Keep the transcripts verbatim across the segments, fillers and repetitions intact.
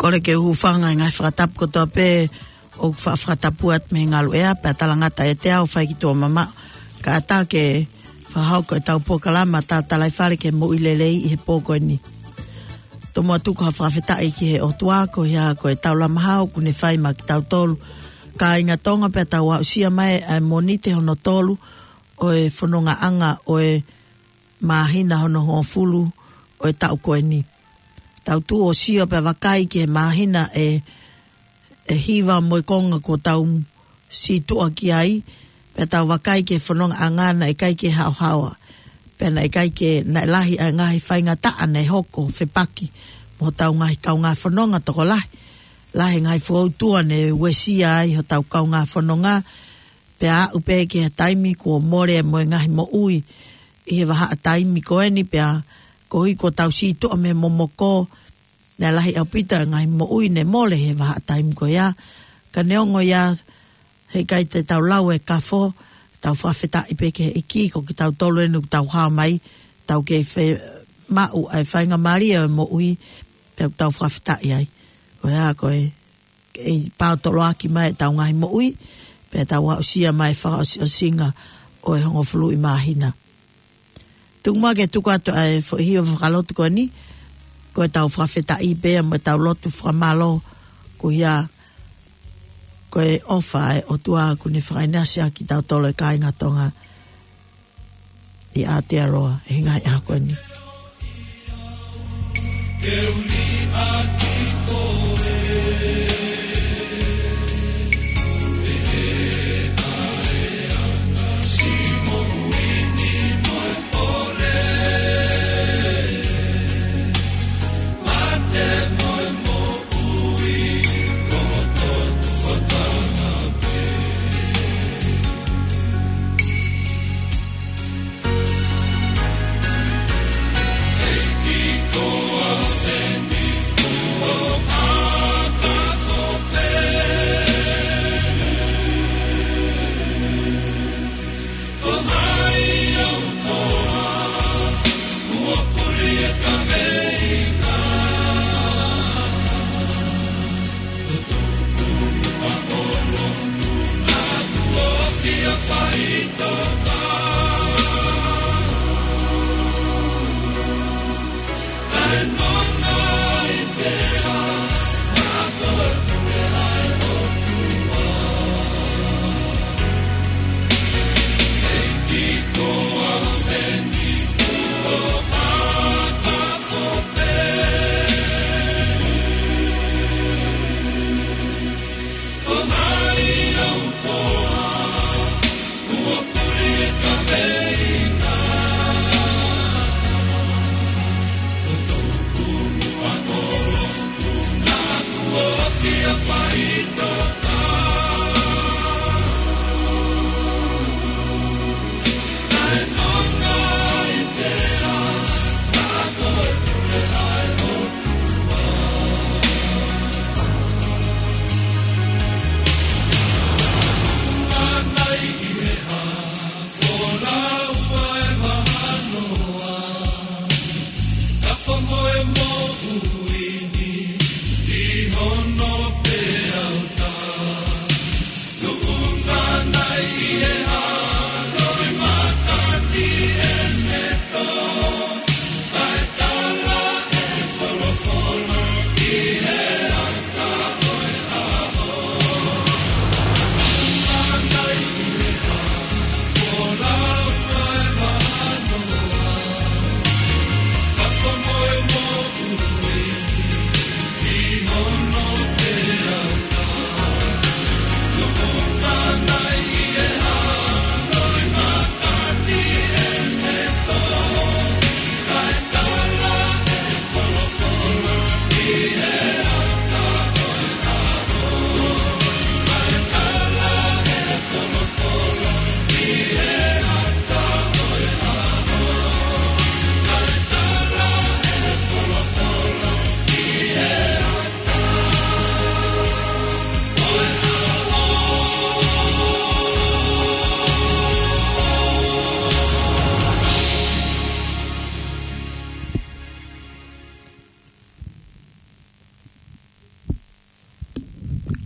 ʻOle ke u hūfanga he ngaahi fakatapu kotoa pē ʻoku faʻa fakatapu atu mei he ngaluʻea, pea talangata ʻiate au ʻo fai ki tuʻa mamaʻo. Kae ʻatā ke fakahoko ʻetau polokalama Tatalaifale ki he Moʻui Lelei ʻi he pō ko eni. Tomuʻa tuku ha fakafetaʻi ki he ʻOtua koeʻuhi ko e taulama hao kuo ne fai maʻa kitautolu kāinga Tonga, pea tau aʻusia mai ʻa e Mōnite hono tolu ʻo e fonongaʻanga ʻo e māhina hono hongofulu ʻo e taʻu ko eni. Tau tuʻu ʻo sio pea vakai ki he māhina ʻe, ʻe hiva mo e konga kuo tau sītuʻa ki ai, pea tau vakai ki he fonongaʻanga naʻe ʻikai ke haohaoa. Pea naʻe ʻikai ke, naʻe lahi ʻa e ngaahi faingataʻa naʻe hoko fepaki mo hotau ngaahi kaungā fononga tokolahi. Lahi e ngaahi fokoutua ne uesia ai hotau kaungā fononga, pea aʻu pē ki he taimi kuo mole mo e ngaahi moʻui ʻi he vahaʻa taimi ko eni, pea koeʻuhi kuo tau sītuʻa mei he momoko, naʻe lahi ʻaupito e ngaahi moʻui ne mole he vahaʻa taimi ko ia. Ka neongo ia, heʻikai te tau lau e kafo, tau fakafetaʻi pē ki he ʻEiki, ko kitautolu eni ʻoku tau hao mai, tau kei fiemaʻu ʻa e faingamālie ʻo e moʻui, pea ʻoku tau fakafetaʻi ai. Ko ia ko e, kei paotoloaki mai ʻetau ngaahi moʻui, pea tau aʻusia mai e fakaʻosiʻosinga ʻo e hongofuluʻi māhina. Tuku muʻa ke tuku atu ʻa e foʻi hiva fakalotu ko eni, ko ʻetau fakafetaʻi pea mo ʻetau lotu fakamālō, koeʻuhi ko e ʻofa ʻa e ʻOtua kuo ne fakaʻinasi ʻaki kitautolu e kāinga Tonga ʻi Aotearoa, he ngaahi ʻaho ko eni.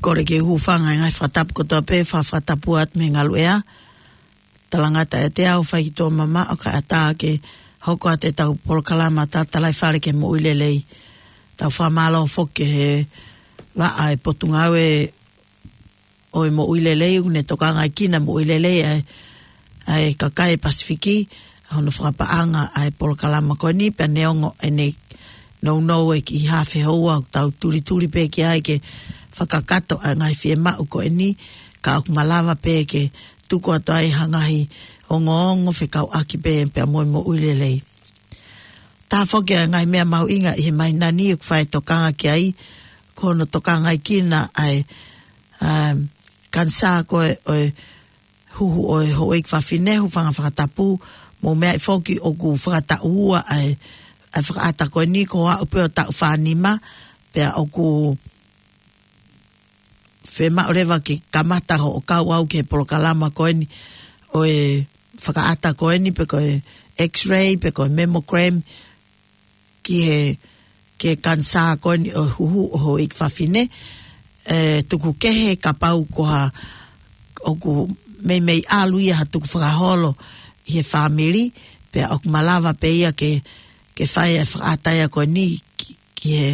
Kole ke u hūfanga he ngaahi fakatapu kotoa pē, fa-, fakatapu atu mei he ngaluʻea. Talangata ʻiate au, fai ki tuʻa mamaʻo kae ʻatā ke hoko atu ʻetau polokalama Tatalaifale ki he Moʻui Lelei. Tau fakamālō foki ki he vaʻa ʻo e Potungāue ʻo e Moʻui Lelei, ʻoku ne tokangaʻi kinautolu moʻui lelei ʻa e, ʻa e kakai Pasifiki, ʻa hono fakapaʻanga ʻa e polokalama ko eni, pea neongo ʻene nounou e kiʻi haafe houa, ʻoku tau tulituli pē ki ai ke fakakakato ʻa e ngaahi fiemaʻu ko eni, ka ʻoku malava pē ke tuku atu ai ha ngaahi ongoongo fekauʻaki pē pea mo e moʻui lelei. Taha foki ʻa e ngaahi meʻa mahuʻinga ʻi he māhina ni ʻoku fai tokanga ki ai, ko hono tokangaʻi kinautolu ʻa e, um, kanisā ko ē ʻo e huhu ʻo e houʻeiki fafine, hūfanga fakatapu, mou meaʻi foki ʻoku fakataʻu ua ʻa e, ʻa e fakaʻata ko eni, ko au pē ʻo taʻu fā nima, pea ʻoku fiemaʻu leva ke kamata hoʻo kau au ki he polokalama ko eni ʻo e fakaʻata ko eni, pe ko e X-ray, pe ko e mammogram, ki he, ki he kanisā ko eni ʻo e huhu ʻo e houʻeiki fafine, ʻe tuku kehe kapau ko ha, ʻoku meimei ʻalu ia ha tukufakaholo ʻi he fāmili, pea ʻoku malava pē ia ke, ke fai e fakaʻata ia ko eni ki, ki he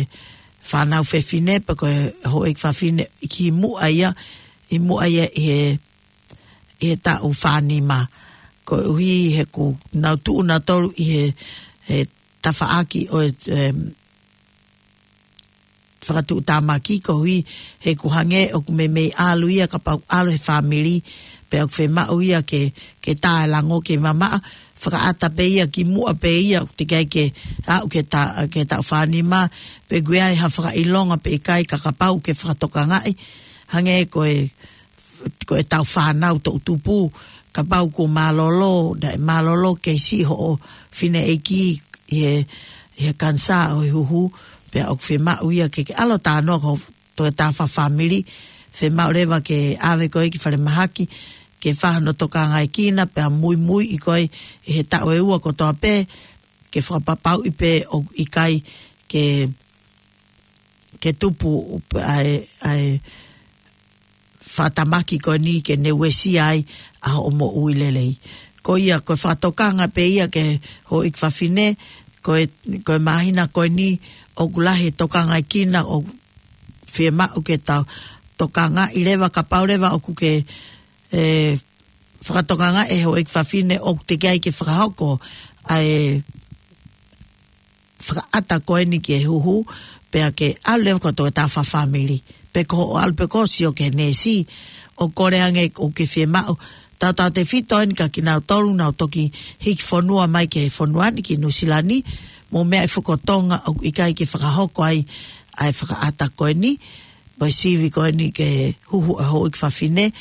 fānau fefine, pe ko e houʻeiki fafine ʻi muʻa ia, ʻi muʻa ia ʻi he, ʻi he taʻu fā nima. Koeʻuhi he ʻoku nau tuʻu nautolu ʻi he, he tafaʻaki ʻo e, em, fakatuʻutāmaki, koeʻuhi he ʻoku hangē ʻoku meimei ʻalu ia kapau ʻalu he fāmili, pea ʻoku fiemaʻu ia ke, ke tā e lango ke mamaʻo, fakaʻata pē ia ki muʻa pē ia, ʻoku teʻeki ai ke aʻu ki he ta-, ki he taʻu fā nima, pe ʻoku ʻi ai ha fakaʻilonga pe ʻikai ka kapau ke fakatokangaʻi, hangē ko e, ko ʻetau fānau toʻutupu, kapau kuo mālōlō, naʻe mālōlō kei siʻi hoʻo fineʻeiki ʻi he, ʻi he kanisā ʻo e huhu, pea ʻoku fiemaʻu ia ke, ke ʻalu ʻo talanoa ki ho toketā fakafāmili, fiemaʻu leva ke ʻave koe ki falemahaki, ke fai hono tokangaʻi kinautolu, pea muimuiʻi koe ʻi he taʻu ʻe ua kotoa pē, ke fakapapauʻi pē ʻoku ʻikai ke, ke tupu ʻa e, ʻa e fakatamaki ko eni ke ne uesia ai ʻa hoʻo moʻui lelei. Ko ia, ko e fakatokanga pē ia ki he houʻeiki fafine, ko e, ko e māhina ko eni ʻoku lahi e tokangaʻi kinautolu, ʻoku fiemaʻu ke tau tokangaʻi leva, kapau leva ʻoku ke, ʻe, fakatokangaʻi ʻe he houʻeiki fafine ʻoku teʻeki ai ke fakahoko ʻa e fakaʻata ko eni ki he huhu, pea ke ʻalu leva ki ho toketā fakafāmili. Pe ko hoʻo ʻalu pē koe ʻo sio ki he neesi, ʻo kole ange ʻoku ke fiemaʻu tautautefito eni kia kinautolu naʻa nau toki hiki fonua mai ki he fonua ni ki Nuʻusila ni, mou meaʻi foki ko Tonga ʻoku ʻikai ke fakahoko ai ʻa e fakaʻata ko eni, mo e sivi ko eni ki he huhu ʻo e houʻeiki fafine,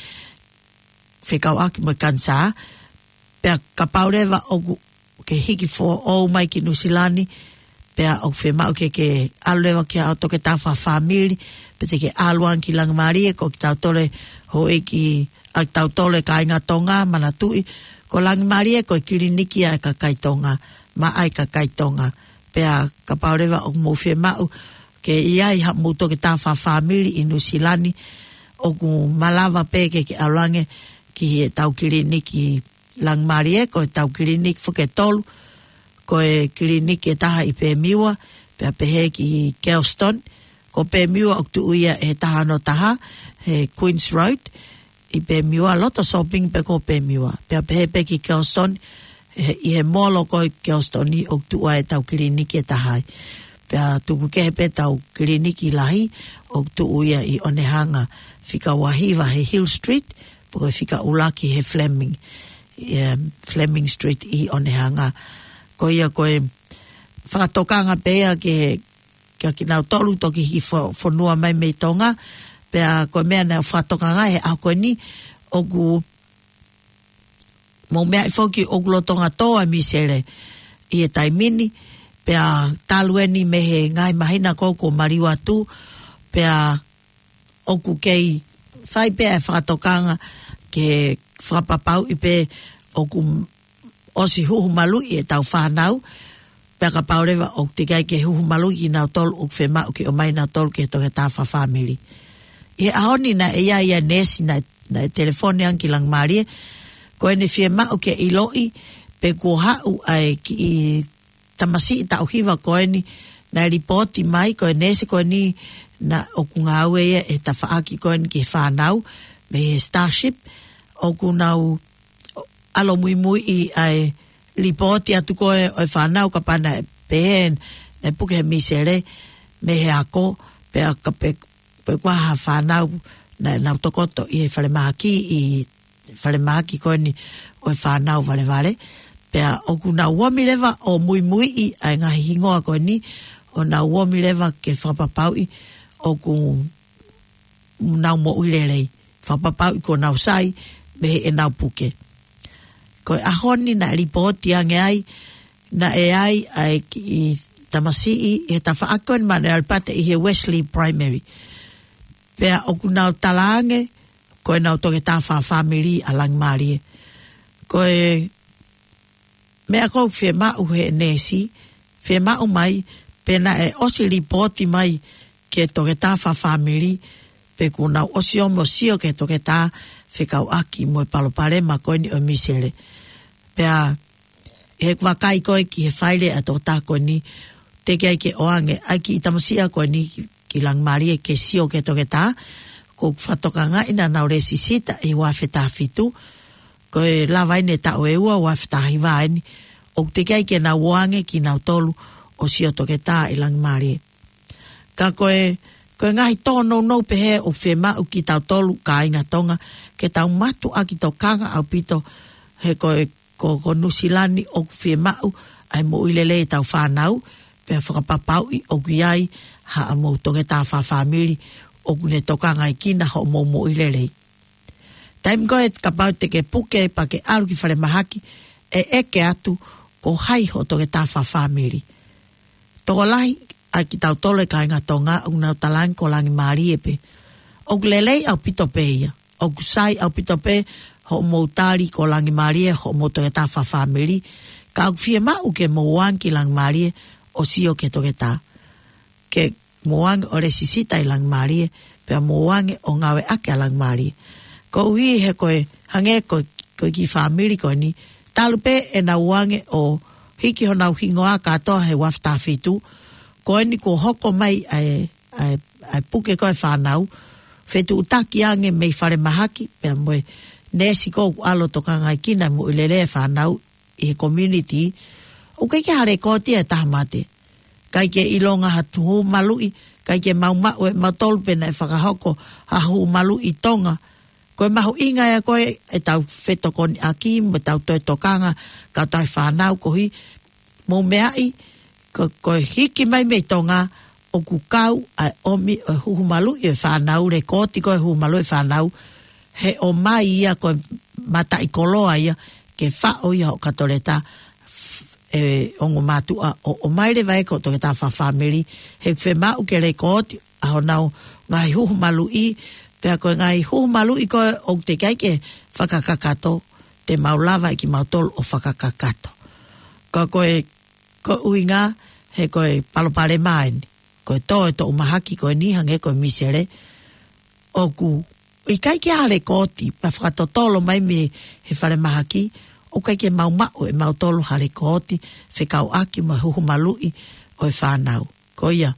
fekauʻaki mo e kanisā, pea kapau leva ʻoku ke hiki foʻou mai ki Nuʻusila ni, pea ʻoku fiemaʻu ke ke ʻalu leva ki ho toketā fakafāmili, pe te ke ʻalu ange ki Langimālie, ko kitautolu e houʻeiki, ʻa kitautolu e kāinga Tonga, manatuʻi, ko Langimālie ko e kiliniki ʻa e kakai Tonga, maʻa e kakai Tonga. Pea kapau leva ʻoku mou fiemaʻu ke ʻi ai haʻamou toketā fakafāmili ʻi Nuʻusila ni, ʻoku malava pē ke ke ʻalu ange ki heʻetau kiliniki Langimālie, ko ʻetau kiliniki foki ʻe tolu, ko e kiliniki ʻe taha ʻi Pēmiua, pea pehē ki Kelston, ko Pēmiua ʻoku tuʻu ia ʻi he taha ono taha, he Queens Road, ʻi Pēmiua, loto shopping pē ko Pēmiua. Pea pehē pē ki Kelston, he, ʻi he molo ko ē ʻi Kelston ni ʻoku tuʻu ai ʻetau kiliniki ʻe taha ai. Pea tuku kehe pē ʻetau kiliniki lahi ʻoku tuʻu ia ʻi Onehunga, fika ua hiva he Hill Street, pe ko e fika ʻuluaki he Fleming, em, Fleming Street ʻi Onehunga. Ko ia ko e fakatokanga pē ia ki he kia kinautolu toki hiki fo-, fonua mai mei Tonga, pea ko e meʻa naʻe fakatokanga he ʻaho ko eni, ʻoku mou meaʻi foki ʻoku lolotonga tō ʻa e misele ʻi he taimi ni, pea talu eni mei he ngaahi māhina ko ē kuo maliu atu, pea ʻoku kei fai pē ʻa e fakatokanga ke fakapapauʻi pē ʻoku ʻosi huhu maluʻi ʻetau fānau, pea kapau leva ʻoku teʻeki ai ke huhu maluʻi kinautolu ʻoku fiemaʻu ke ʻomai nautolu ki he toketā fakafāmili. ʻI he ʻaho ni naʻe ʻi ai ʻa e neesi naʻe, naʻe telefoni ange ki Langimalie, ko ʻene fiemaʻu ke ʻiloʻi pe kuo haʻu ʻa e kiʻi tamasiʻi taʻu hiva ko eni naʻe lipooti mai, ko e neesi ko eni naʻe ʻoku ngāue ia he tafaʻaki ko eni ki he fānau mei he Starship, ʻoku nau ʻalu ʻo muimuiʻi ʻa e lipooti atu ko ē ʻo e fānau kapau naʻe pehē naʻe puke he misele mei he ako, pea ka pe, pe ko e hā ha fānau naʻa nau tokoto ʻi he falemahaki, ʻi he falemahaki ko eni ʻo e fānau valevale. Pea ʻoku nau omi leva ʻo muimuiʻi ʻa e ngaahi hingoa ko eni, ʻo nau omi leva ke fakapapauʻi ʻoku nau moʻui lelei, fakapapauʻi kuo nau sai mei heʻenau puke. Ko e ʻaho ni naʻe lipooti ange ai naʻe ʻi ai ʻa e kiʻi tamasiʻi he tafaʻaki ko eni Manuel Pate ʻi he Wesley Primary. Pea ʻoku nau talaange ko ʻenau toketā fakafāmili ʻa Langimalie. Ko e meʻa ʻoku fiemaʻu he neesi, fiemaʻu mai pe naʻe ʻosi lipooti mai ki he toketā fakafāmili pe kuo nau ʻosi omi ʻo sio ki he toketā fekauʻaki mo e palopalema ko eni ʻo e misele. Pea ʻi heʻeku vakai ko ē ki he faile ʻa e toketā ko eni, teʻeki ai ke ʻoange ʻa e kiʻi tamasiʻi ko eni ki, ki Langimalie ke sio ki he toketā. Ko e fakatokangaʻi naʻa nau lēsisita ʻi he ua afe taha fitu, ko e lava eni e taʻu ʻe ua, ua afe taha hiva eni, ʻoku teʻeki ai ke nau ʻoange kinautolu ʻo sio toketā ʻi Langimalie. Ka ko e, ko e ngaahi tōnounou pehē ʻoku fiemaʻu kitautolu kāinga Tonga ke tau mātuʻaki tokanga ʻaupito he ko e, ko, ko Nuʻusila ni ʻoku fiemaʻu ʻa e moʻui lelei ʻetau fānau, pea fakapapauʻi ʻoku ʻi ai haʻamou toketā fakafāmili ʻoku ne tokangaʻi kinautolu hoʻomou moʻui lelei. Taimi ko ē kapau te ke puke pea ke ʻalu ki falemahaki, ʻe ʻeke atu ko hai hoʻo toketā fakafāmili. Tokolahi ʻa kitautolu e kāinga Tonga ʻoku nau talaange ko Langimalie pē. ʻOku lelei ʻaupito pē ia. ʻOku sai ʻaupito pē hoʻomou tali ko Langimalie hoʻomou toketā fakafāmili. Ka ʻoku fiemaʻu ke mou ō ange ki Langimalie ʻo sio ki he toketā. Ke mou ō ange ʻo lēsisita ʻi Langimalie, pea mou ō ange ʻo ngāueʻaki ʻa Langimalie. Koeʻuhi he ko e hangē ko, ko e kiʻi fāmili ko eni, talu pē ʻenau ō ange ʻo hiki honau hingoa kātoa he ua afe taha fitu, ko eni kuo hoko mai ʻa e, ʻa e, ʻa e puke ko ē ʻa e fānau, fetuʻutaki ange mei falemahaki, pea mo e neesi ko ē ʻoku ʻalu ʻo tokangaʻi kinautolu e moʻui lelei e fānau ʻi he community, ʻoku ʻikai ke ʻi ai ha lēkooti ʻa e taha mate. ʻIkai ke ʻilonga ha tuhu maluʻi, ʻikai ke mau maʻu ʻe mautolu pe naʻe fakahoko ha huhu maluʻi ʻi Tonga. Ko e mahuʻinga ia ko ē ʻetau fetokoniʻaki mo ʻetau toe tokanga ki he fānau koeʻuhi, mou meaʻi, ko, ko e hiki mai mei Tonga, ʻoku kau ʻa e ʻomi ʻo e huhu maluʻi ʻo e fānau, lēkooti ko ē huhu maluʻi ʻo e fānau, he ʻomai ia ko e mataʻikoloa ia, ke faʻo ia hoʻo kato leta, ʻe ongo mātuʻa ʻo, ʻomai leva ʻe koe hoʻo toketā fakafāmili, he ʻoku fiemaʻu ke lēkooti ʻa honau ngaahi huhu maluʻi, pea ko e ngaahi huhu maluʻi ko ē ʻoku teʻeki ai ke fakakakato, te mau lava ʻe kimautolu ʻo fakakakato. Ka ko e, ko e ʻuhinga, he ko e palopalema eni. Ko e tō e toʻu mahaki ko eni hangē ko e misele, ʻoku ʻikai ke ʻi ai ha lēkooti, pea fakatotolo mai mei he falemahaki, ʻoku ʻikai ke mau maʻu ʻe mautolu ha lēkooti fekauʻaki mo e huhu maluʻi ʻo e fānau. Ko ia,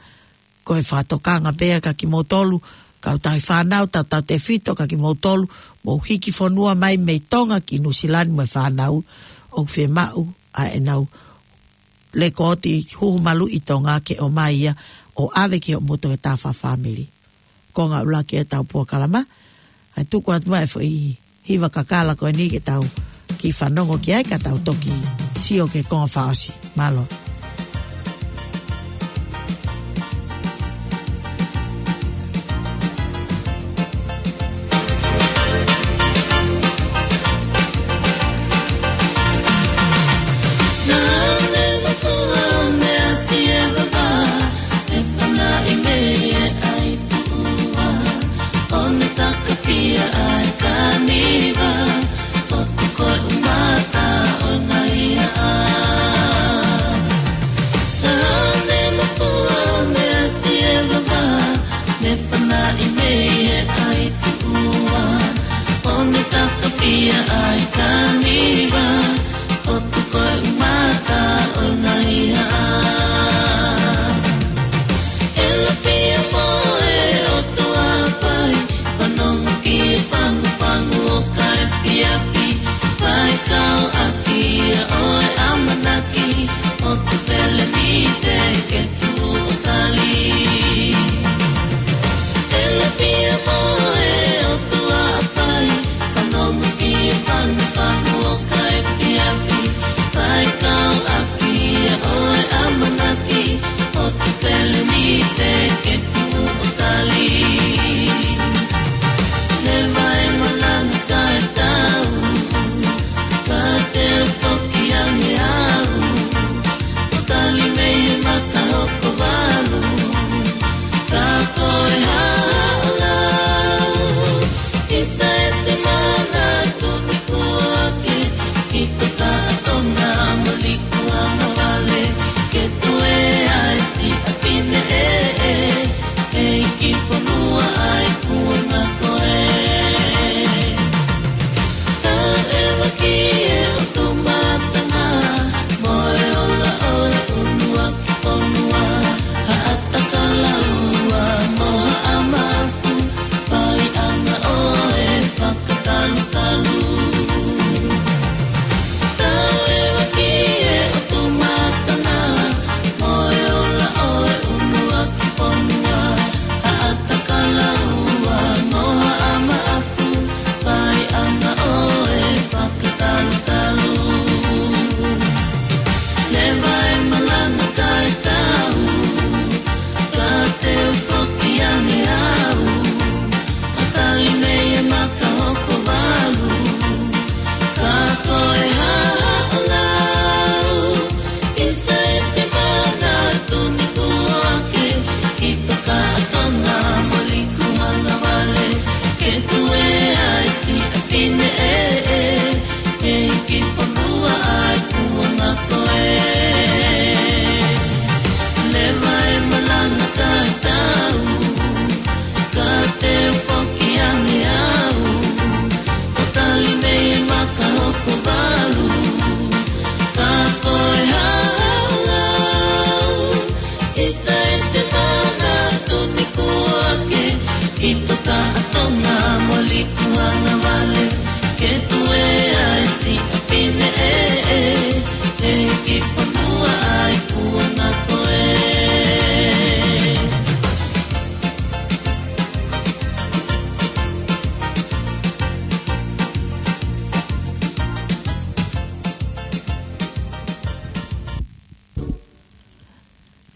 ko e fakatokanga pē ia kia kimoutolu, kau tauhi fānau, tautautefito kia kimoutolu, mou hiki fonua mai mei Tonga ki Nuʻusila ni mo e fānau, ʻoku fiemaʻu ʻa ʻenau lēkooti huhu maluʻi ʻi Tonga ke ʻomai ia ʻo ʻave ki hoʻomou toketā fakafāmili. Ko e ngaahi ʻuluaki ʻetau polokalama, ʻa e tuku atu mai e foʻi hiva kakala ko eni ke tau kiʻi fanongo ki ai ka tau toki sio ki he konga fakaʻosi. Mālō.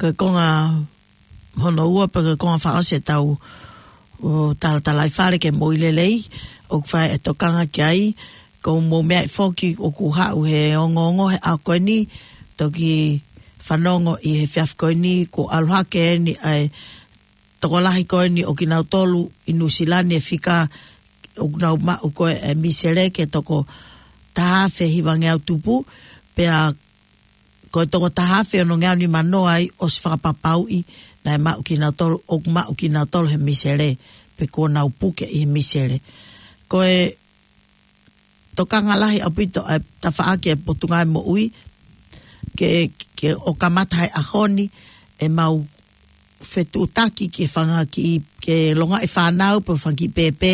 Ko e konga hono ua pē ko e konga fakaʻosi ʻetau ʻo talatalaifale ke mou ʻilo lelei, ʻoku fai e tokanga ki ai, ko e mou meaʻi foki ʻoku haʻu he ongoongo he ʻaho ko eni, toki fanongo ʻi he efiafi ko eni, ko e ʻalu hake eni ʻa e tokolahi ko eni ʻo kinautolu ʻi Nuʻusila ni e fika ʻoku nau maʻu ko e misele ke toko taha afe hivangeau tupu, pea ko e toko taha afe onongeau nimanoa ai ʻosi fakapapauʻi naʻe maʻu kinautolu, ʻoku maʻu kinautolu he misele, pe kuo nau puke ʻi he misele. Ko e tokanga lahi ʻaupito ʻa e tafaʻaki ʻa e Potungāue Moʻui, ke, ke ʻo kamata he ʻaho ni ʻemau fetuʻutaki ke fanga kiʻi, ke longaʻi fānau pe fanga kiʻi pēpē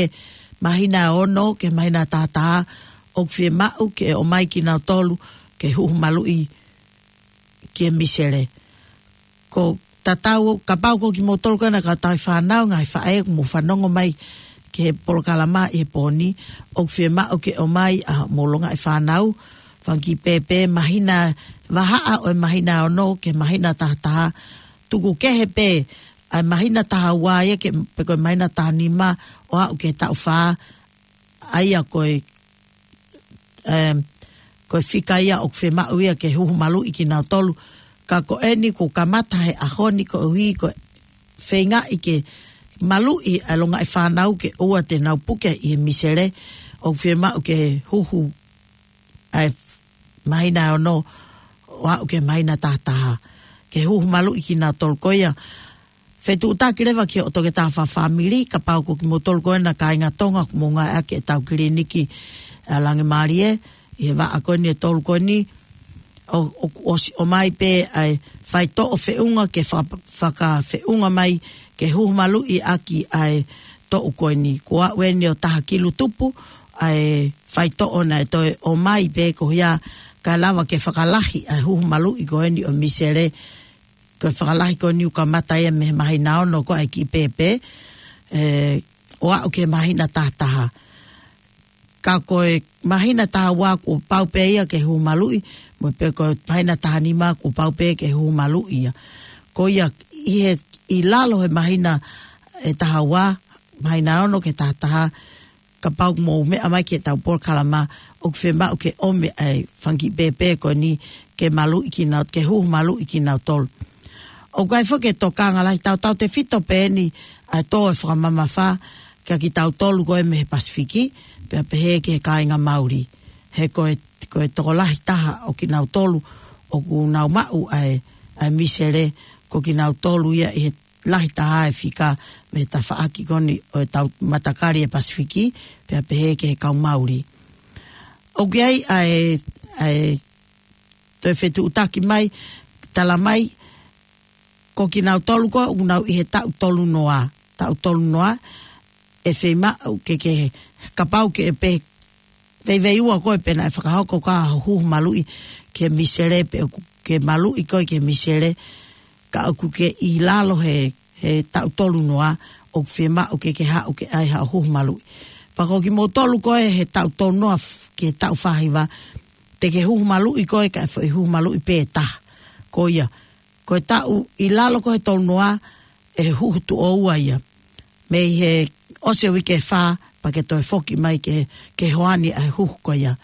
māhina ʻe ono ki he māhina ʻe taha taha, ʻoku fiemaʻu ke ʻomai kinautolu ke huhu maluʻi ki he misele. Ko e tatau, kapau ko kimoutolu ko ena kau tauhi fānau, ngaahi faʻē ʻoku mou fanongo mai ki he polokalama ʻi he pō ni, ʻoku fiemaʻu ke ʻomai ʻa hoʻomou longaʻi fānau, fanga kiʻi pēpē māhina, vahaʻa ʻo e māhina ʻe ono ki he māhina ʻe taha taha, tuku kehe pē ʻa e māhina ʻe taha ua ia ke, pe ko e māhina ʻe taha nima ʻo aʻu ki he taʻu fā, ʻa ia ko e, em, ko e fika ia ʻoku fiemaʻu ia ke huhu maluʻi kinautolu. Ka ko eni kuo kamata he ʻaho ni koeʻuhi ko e feingaʻi ke maluʻi ʻa e longaʻi fānau ke ʻoua te nau puke ʻi he misele, ʻoku fiemaʻu ke huhu ʻa e māhina ʻe ono ʻo aʻu ki he māhina ʻe taha taha, ke huhu maluʻi kinautolu. Ko ia, fetuʻutaki leva ki hoʻo toketā fakafāmili, kapau ko kimoutolu ko ena kāinga Tonga ʻoku mou ngāueʻaki ʻetau kiliniki ʻa Langemālie, ʻi he vaʻa ko eni ʻe tolu ko eni, ʻo, ʻo, ʻosi ʻomai pē ʻa e faitoʻo feʻunga ke faka-, fakafeʻunga mai ke huhu maluʻi ʻaki ʻa e toʻu ko eni. Kuo aʻu eni ʻo taha kilu tupu ʻa e faitoʻo naʻe toe ʻomai pē ko ia kae lava ke fakalahi ʻa e huhu maluʻi ko eni ʻo e misele, ko e fakalahi ko eni ʻoku kamata ia mei he māhina ʻe ono ko e kiʻi pēpē, ē, ʻo aʻu ki he māhina ʻe taha taha. Ka ko e māhina ʻe taha ua kuo pau pē ia ke huhu maluʻi, mo e pē ko e māhina ʻe taha nima kuo pau pē ke huhu maluʻi ia. Ko ia ʻi he, ʻi lalo he māhina ʻe taha ua, māhina ʻe ono ki he taha taha, kapau ʻoku mou meʻa mai ki heʻetau polokalama, ʻoku fiemaʻu ke ʻomi ʻa e fanga kiʻi pēpē ko eni ke maluʻi kinau-, ke huhu maluʻi kinautolu. ʻOku ʻi ai foki e tokanga lahi tautautefito pē eni ʻa e tō e fakamamafa kia kitautolu ko ē mei he Pasifiki, pea pehē ki he kāinga Mauli. He ko e, ko e tokolahi taha ʻo kinautolu ʻoku nau maʻu ʻa e, ʻa e misele, ko kinautolu ia ʻi he lahi taha e fika mei he tafaʻaki ko eni ʻo ʻetau matakali ʻa e Pasifiki, pea pehē ki he kau Mauli. ʻOku ʻi ai ʻa e, ʻa e toe fetuʻutaki mai, tala mai, ko kinautolu ko ē ʻoku nau ʻi he taʻu tolu noa, taʻu tolu noa, ʻe fiemaʻu ke, ke, kapau ke pē veiveiua koe pe naʻe fakahoko ʻa hoʻo huhu maluʻi ki he misele pe ʻoku ke maluʻi koe ki he misele, ka ʻoku ke ʻi lalo he, he taʻu tolu noa, ʻoku fiemaʻu ke ke haʻu ke ʻai haʻo huhu maluʻi. Pea ko kimoutolu ko ē he taʻu tolu noa f-, ki he taʻu fā hiva, te ke huhu maluʻi koe kae foʻi huhu maluʻi pē ʻe taha. Ko ia, ko e taʻu ʻi lalo ko ē he tolu noa, ʻe huhu tuʻo ua ia. Mei he ʻosi e uike ʻe fā, pea ke toe foki mai ke, ke hoani ʻa e huhu ko ia.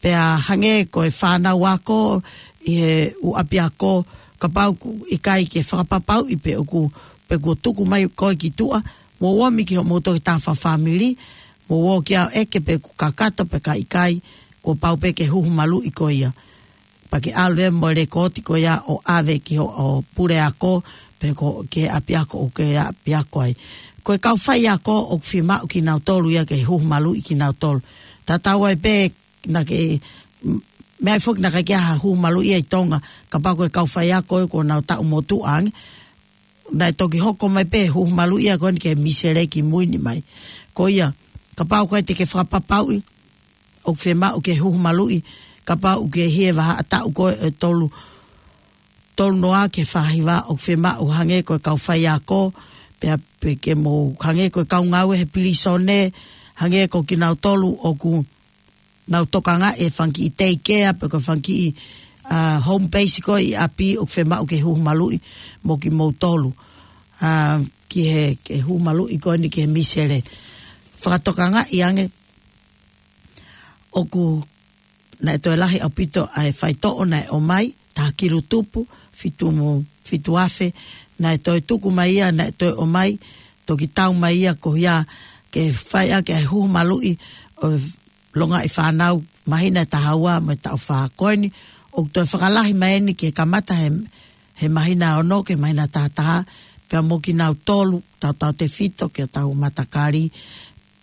Pea hangē ko e fānau ako ʻi he ʻū ʻapiako, kapau ʻoku ʻikai ke fakapapauʻi pe ʻoku, pe kuo tuku mai koe ki tuʻa, mou ō mai ki hoʻomou toketā fakafāmili, mou ō ki ai ʻeke pe ʻoku kakato pe ka ʻikai, kuo pau pē ke huhu maluʻi koe ia. Pea ke ʻalu ē mo e lekooti ko ia ʻo ʻave ki hoʻo puleako, pe ko, ki he ʻapiako ʻoku ke ʻapiako ai. Ko e kau faiako ʻoku fiemaʻu kinautolu ia ke huhu maluʻi kinautolu. Tatau ai pē naʻa ke, m-, meʻa foki naʻa ke ʻai ha huhu maluʻi ia ʻi Tonga, kapau ko e kau faiako ē kuo nau taʻu motuʻa ange, naʻe toki hoko mai pē huhu maluʻi ia ko eni ki he misele ki mui ni mai. Ko ia, kapau ko ē te ke fakapapauʻi, ʻoku fiemaʻu ke huhu maluʻi, kapau ʻoku ke ʻi he vahaʻa taʻu ko ē ʻe tolu, tolu noa ki he fā hiva, ʻoku fiemaʻu hangē ko e kau faiako, pea pē ke mou hangē ko e kau ngāue he pilīsone, hangē ko kinautolu ʻoku nau tokangaʻi e fanga kiʻi teikea, pe ko e fanga kiʻi ʻa, home base ko ē ʻi ʻapi ʻoku fiemaʻu ke huhu maluʻi mo kimoutolu. ʻA, ki he, ke huhu maluʻi ko eni ki he misele. Fakatokangaʻi ange, ʻoku naʻe toe lahi ʻaupito ʻa e faitoʻo naʻe ʻomai, taha kilu tupu, fitu mo, fitu afe, naʻe toe tuku mai ia, naʻe toe ʻomai, toki tau mai ia ko ia, ke fai ʻaki ʻa e huhu maluʻi ʻo e longaʻi fānau, māhina ʻe taha ua mo e taʻu fā ko eni, ʻoku toe fakalahi mai eni ke kamata he, he māhina ono ki he māhina taha taha, pea mo kinautolu, tautautefito ki hotau matakali,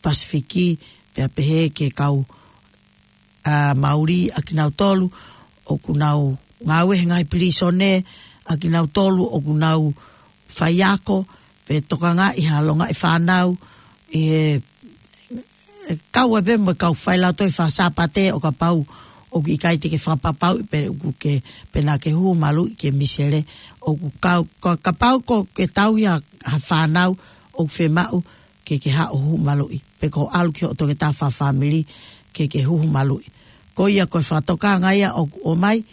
Pasifiki, pea pehē ki he kau, ʻa, Mauli ʻa kinautolu, ʻoku nau ngāue he ngaahi pilīsone, ʻa kinautolu, ʻoku nau faiako, pe tokangaʻi ha longaʻi fānau, ʻi he, ʻe kau ai pē mo e kau failautohi faka-Sāpate ʻo kapau, ʻoku ʻikai te ke fakapapauʻi pe ʻoku ke, pe naʻa ke huhu maluʻi ki he misele, ʻoku kau, ka, kapau ko ke tauhi ha, ha fānau, ʻoku fiemaʻu, ke ke haʻu ʻo huhu maluʻi, pe ko e ʻalu ki hoʻo toketā fakafāmili, ke ke huhu maluʻi. Ko ia ko e fakatokanga ia ʻoku ʻomai,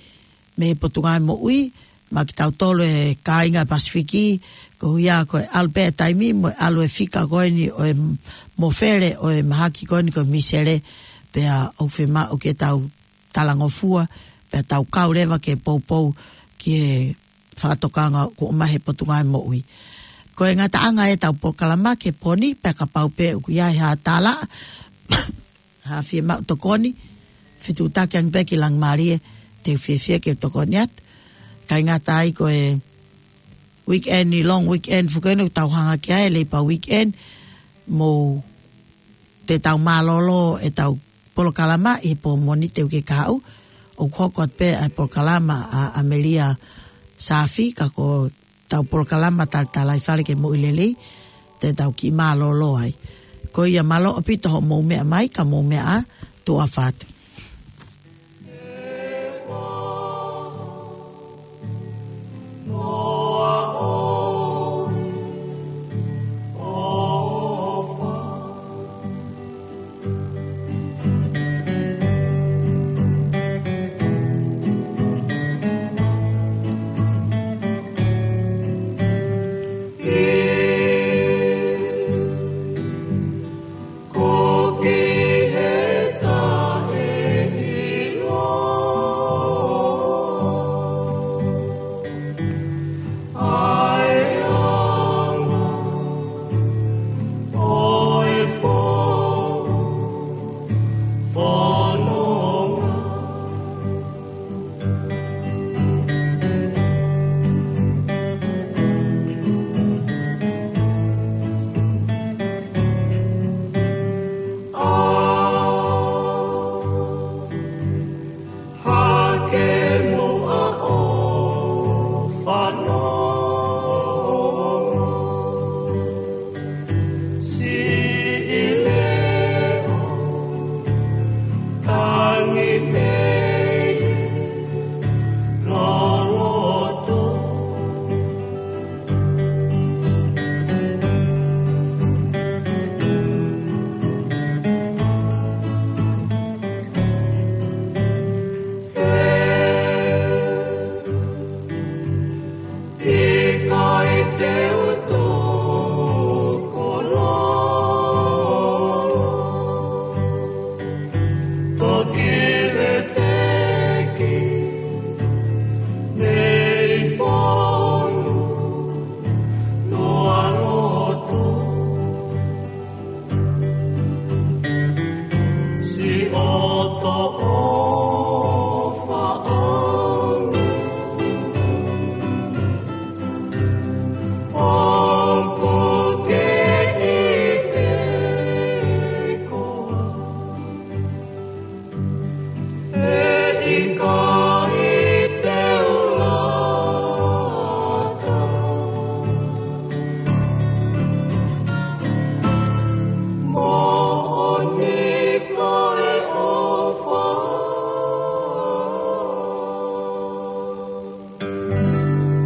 mei he Potungāue Moʻui, maʻa kitautolu e kāinga Pasifiki, ko ia ko e ʻalu pē e taimi, mo e ʻalu e fika ko eni ʻo e mofele, ʻo e mahaki ko eni ko e misele, pea ʻoku fiemaʻu ke tau talangofua, pea tau kau leva ke poupou ki he fakatokanga kuo ʻomai he Potungāue Moʻui. Ko e ngataʻanga ʻetau polokalama ki he pō ni, pea kapau pē ʻoku ʻi ai ha tālaʻa, ha fiemaʻu tokoni, fetuʻutaki ange pē ki Langimalie, te u fiefia ke tokoni atu. Kae ngata ai ko e weekend ni, long weekend foki eni ʻoku tau hanga ki ai, Labour weekend, mou te tau mālōlō ʻetau polokalama ʻi he pō Mōnite uike kahaʻu, ʻoku hoko atu pē ʻa e polokalama ʻa ʻAmelia Saafi, ka ko ʻetau polokalama Talitalaifale ki he Moʻui Lelei, te tau kiʻi mālōlō ai. Ko ia mālō ʻaupito hoʻomou meʻa mai, ka mou meʻa ā, tuʻa ʻofa atu.